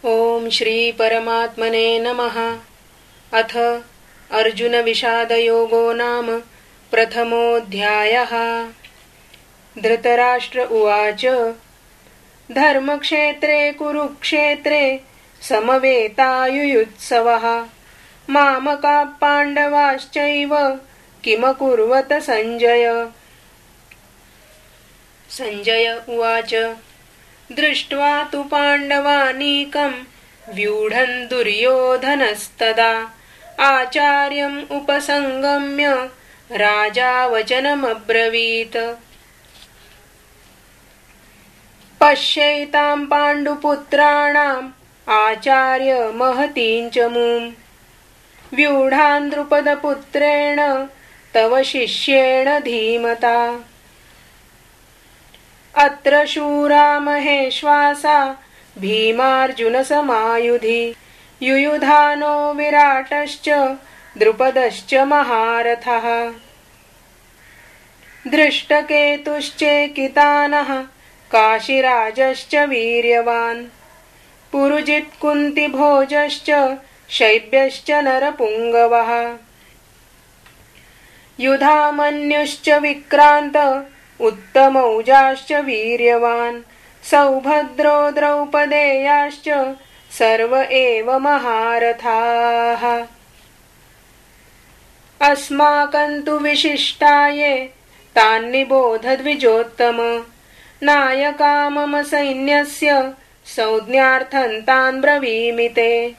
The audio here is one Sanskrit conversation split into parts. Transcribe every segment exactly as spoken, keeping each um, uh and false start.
ओम श्री परमात्मने नमः। अथ अर्जुन विषादयोगो नाम प्रथमोऽध्यायः। धृतराष्ट्र उवाच धर्मक्षेत्रे कुरुक्षेत्रे समवेतायुयुत्सवः मामकाः पाण्डवाश्चैव किमकुर्वत संजय। संजय उवाच दृष्ट्वा तु पाण्डवानीकं व्यूढन् दुर्योधनस्तदा आचार्यम् उपसंगम्य राजा वचनमब्रवीत्। पश्यैतां पाण्डुपुत्राणाम् आचार्य महतीं च मूम् व्यूढान् द्रुपदपुत्रेण तव शिष्येण धीमता। अत्र शूरा महेश्वासा भीमार्जुनसमायुधि युयुधानो विराटश्च द्रुपदश्च महारथः। धृष्टकेतुश्चेकितानः काशीराजश्च वीर्यवान् पुरुजित्कुन्तिभोजश्च शैब्यश्च नरपुङ्गवः। युधामन्युश्च विक्रान्त उत्तमौजाश्च वीर्यवान् सौभद्रो द्रौपदेयाश्च सर्व एव महारथाः। अस्माकं तु विशिष्टाये तान्निबोध द्विजोत्तम नायका मम सैन्यस्य संज्ञार्थं तान् ब्रवीमि ते।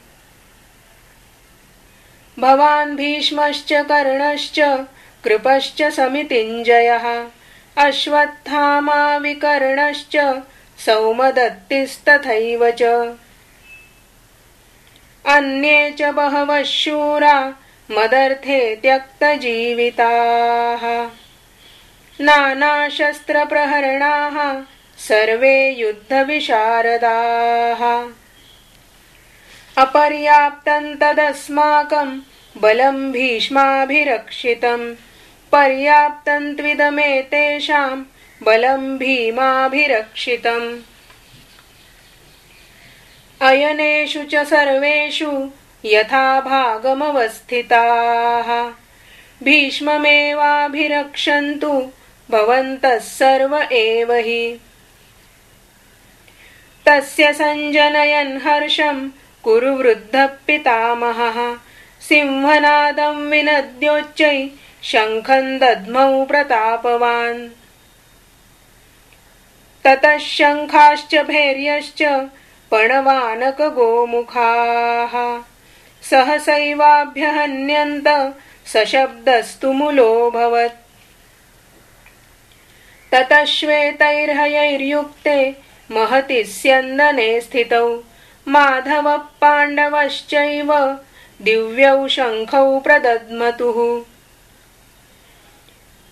भवान् भीष्मश्च कर्णश्च कृपश्च समितिञ्जयः अश्वत्थामा विकर्णश्च सौमदत्तिस्तथैव च अन्ये च बहवः शूरा मदर्थे त्यक्तजीविताः नानाशस्त्रप्रहरणाः सर्वे युद्धविशारदाः। अपर्याप्तं तदस्माकं बलं भीष्माभिरक्षितं पर्याप्तं त्विदमेतेषां बलं भीमाभिरक्षितम्। अयनेषु च सर्वेषु यथा भागमवस्थिताः भीष्ममेवाभिरक्षन्तु भवन्तः सर्व एव हि। तस्य सञ्जनयन् हर्षं कुरु वृद्धः पितामहः सिंहनादं विनद्योच्चै शङ्खं दद्मौ प्रतापवान्। ततः शङ्खाश्च भैर्यश्च पणवानकगोमुखाः सहसैवाभ्यहन्यन्त सशब्दस्तु मुलोऽभवत्। ततः श्वेतैर्हयैर्युक्ते महति स्यन्दने स्थितौ माधवः पाण्डवश्चैव दिव्यौ शङ्खौ प्रदद्मतुः।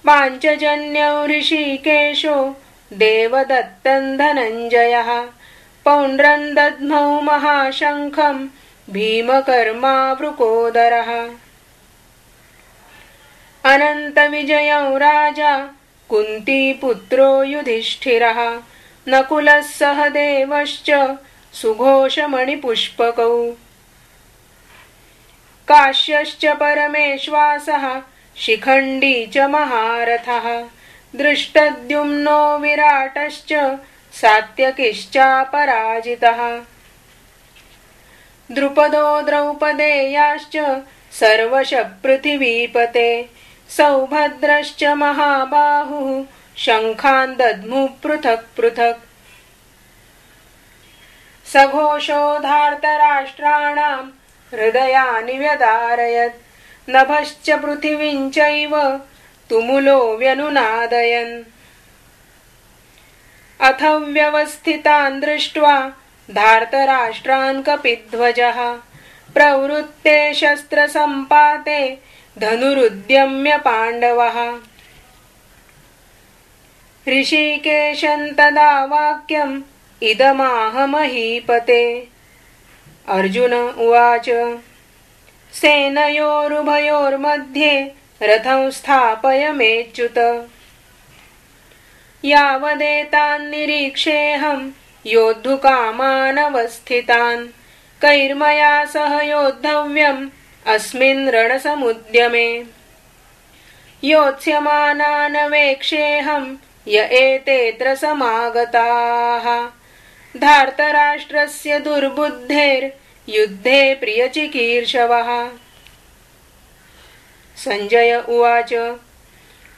पाञ्चजन्यौ ऋषिकेशो देवदत्तं धनञ्जयः पौण्ड्रं दद्मौ महाशङ्खं भीमकर्मा वृकोदरः। अनन्तविजयौ राजा कुन्तीपुत्रो युधिष्ठिरः नकुलः सहदेवश्च सुघोषमणिपुष्पकौ काश्यश्च परमेश्वासः शिखण्डी च महारथः दृष्टद्युम्नो विराटश्च सात्यकिश्चापराजितः। द्रुपदो द्रौपदेयाश्च सर्वशः पृथिवीपते सौभद्रश्च महाबाहुः शङ्खान् दद्मुः पृथक् पृथक्। सघोषो धार्तराष्ट्राणां हृदयानि व्यदारयत् नभश्च पृथिवीं चैव तुमुलो व्यनुनादयन्। अथ व्यवस्थितान् दृष्ट्वा धार्तराष्ट्रान् कपिध्वजः प्रवृत्ते शस्त्रसम्पाते धनुरुद्यम्य पाण्डवः। ऋषिकेशं तदा वाक्यम् इदमाह महीपते। अर्जुन उवाच सेनयोरुभयोर्मध्ये रथं स्थापयमेच्युत। यावदेतान् निरीक्षेऽहं योद्धुकामानवस्थितान् कैर्मया सह योद्धव्यम् अस्मिन् रणसमुद्यमे। योत्स्यमानान् वेक्षेऽहं य एतेऽत्र समागताः। धार्तराष्ट्रस्य दुर्बुद्धेर्युद्धे प्रियचिकीर्षवः। सञ्जय उवाच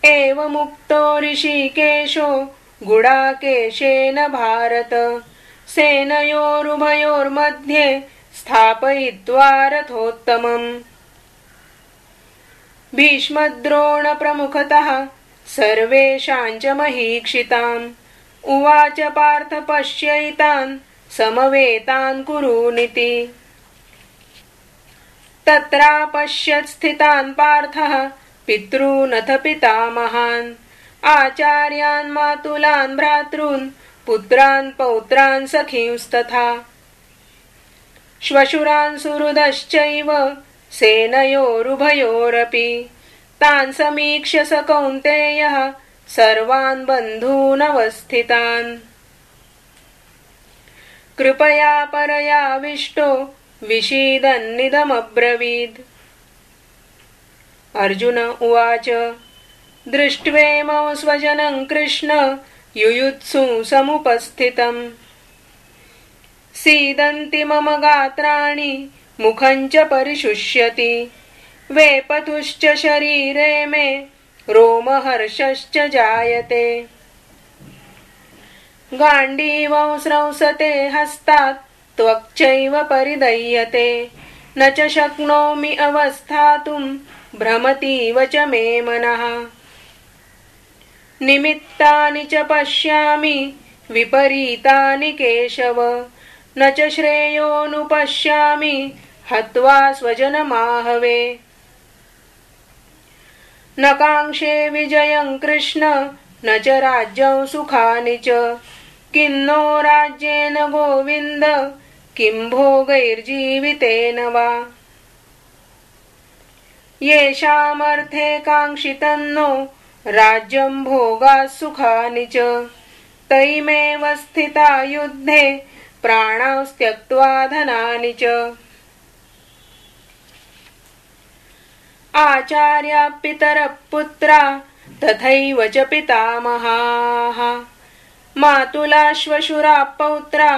एवमुक्तो ऋषिकेशो गुडाकेशेन भारत सेनयोरुभयोर्मध्ये स्थापयित्वा रथोत्तमम्। भीष्मद्रोणप्रमुखतः सर्वेषां च महीक्षिताम् उवाच पार्थ पश्यैतान् समवेतान् कुरूनिति। तत्रापश्यत् स्थितान् पार्थः पितॄनथ पितामहान् आचार्यान् मातुलान् भ्रातॄन् पुत्रान् पौत्रान् सखींस्तथा श्वशुरान् सुहृदश्चैव सेनयोरुभयोरपि तान् समीक्ष्य स कौन्तेयः सर्वान् बन्धूनवस्थितान् कृपया परयाविष्टो विषीदन्निदमब्रवीत्। अर्जुन उवाच दृष्ट्वेमौ स्वजनं कृष्ण युयुत्सु समुपस्थितम् सीदन्ति मम गात्राणि मुखं च परिशुष्यति वेपतुश्च शरीरे मे रोमहर्षश्च जायते गाण्डीवं स्रंसते हस्तात् त्वक्चैव परिदह्यते न च शक्नोमि अवस्थातुं भ्रमतीव च मे मनः निमित्तानि च पश्यामि विपरीतानि केशव न च श्रेयोनुपश्यामि हत्वा स्वजनमाहवे न काङ्क्षे विजयं कृष्ण न च राज्यं सुखानि च किन्नो राज्येन गोविन्द किं भोगैर्जीवितेन वा येषामर्थे काङ्क्षितन्नो राज्यं भोगाः सुखानि च तैमेव स्थिता युद्धे प्राणां त्यक्त्वा धनानि च आचार्या पितरः पुत्रा तथैव च पितामहाः मातुला श्वशुरा पौत्रा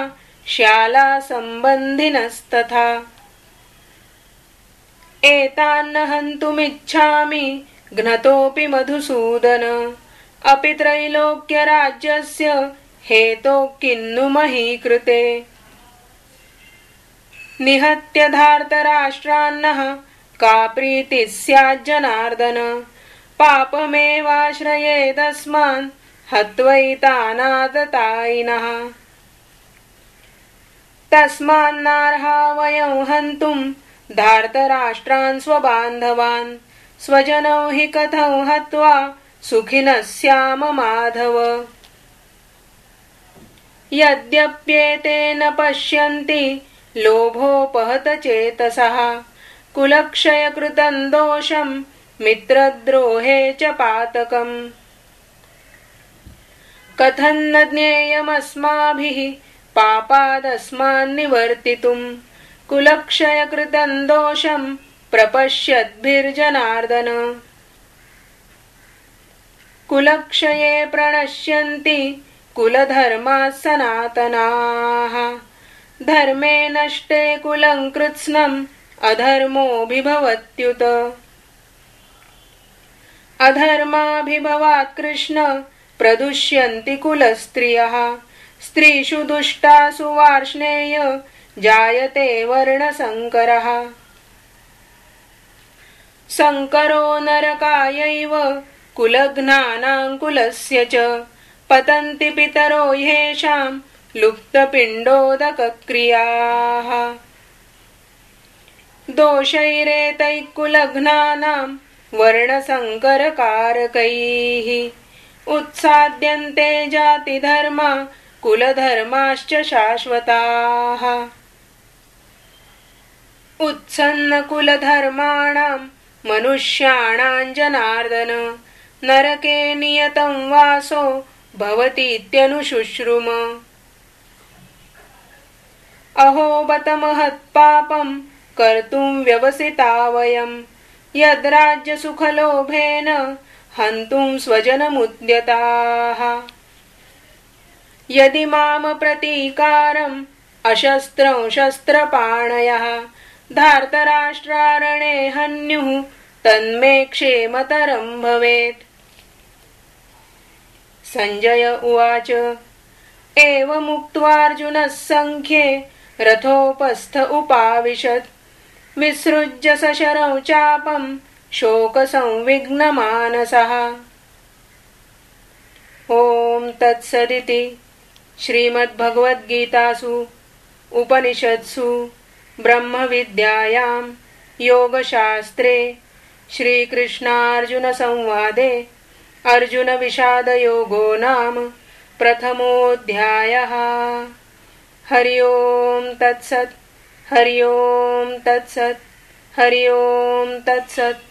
श्याला सम्बन्धिनस्तथा एतान्न हन्तुमिच्छामि घ्नतोऽपि मधुसूदन अपि त्रैलोक्यराज्यस्य हेतोः किन्नु महीकृते निहत्य धार्तराष्ट्रान्नः का प्रीतिः स्याज्जनार्दन पापमेवाश्रयेदस्मान् हत्वैतानादतायिनः तस्मान्नार्हा वयं हन्तुं धार्तराष्ट्रान् स्वबान्धवान् स्वजनौ हि कथं हत्वा सुखिनः स्याम माधव यद्यप्येतेन पश्यन्ति लोभोपहत चेतसः कुलक्षयकृतं दोषं मित्रद्रोहे च पातकम् कथं न ज्ञेयमस्माभिः पापादस्मान्निवर्तितुं कुलक्षयकृतं दोषं प्रपश्यद्भिर्जनार्दन कुलक्षये प्रणश्यन्ति कुलधर्माः सनातनाः धर्मे नष्टे कुलं कृत्स्नम् अधर्मोऽभिभवत्युत अधर्माभिभवात् कृष्ण प्रदुष्यन्ति कुलस्त्रियः स्त्रीषु दुष्टासु वार्ष्णेय जायते वर्णसङ्करः संकरो नरकायैव कुलघ्नानां कुलस्य च पतन्ति पितरो ह्येषां लुप्तपिण्डोदकक्रियाः दोषैरेतैः कुलघ्नानां वर्णसङ्करकारकैः उत्साद्यन्ते जातिधर्मा कुलधर्माश्च शाश्वताः उत्सन्नकुलधर्माणां मनुष्याणां जनार्दन नरके नियतं वासो भवतीत्यनुशुश्रुम अहो बत महत्पापं कर्तुं व्यवसिता वयं यद्राज्यसुखलोभेन हन्तुं स्वजनमुद्यताः यदि माम प्रतीकारम् अशस्त्रं शस्त्रपाणयः धार्तराष्ट्रारणे हन्युः तन्मे क्षेमतरं भवेत्। संजय उवाच एवमुक्त्वार्जुनः सङ्ख्ये रथोपस्थ उपाविशत् विसृज्य सशरं चापं शोकसंविघ्नमानसः। ॐ तत्सदिति श्रीमद्भगवद्गीतासु उपनिषत्सु ब्रह्मविद्यायां योगशास्त्रे श्रीकृष्णार्जुनसंवादे अर्जुनविषादयोगो नाम प्रथमोऽध्यायः। हरि ओं तत्सत् हरि ओं तत्सत् हरि ओं तत्सत्।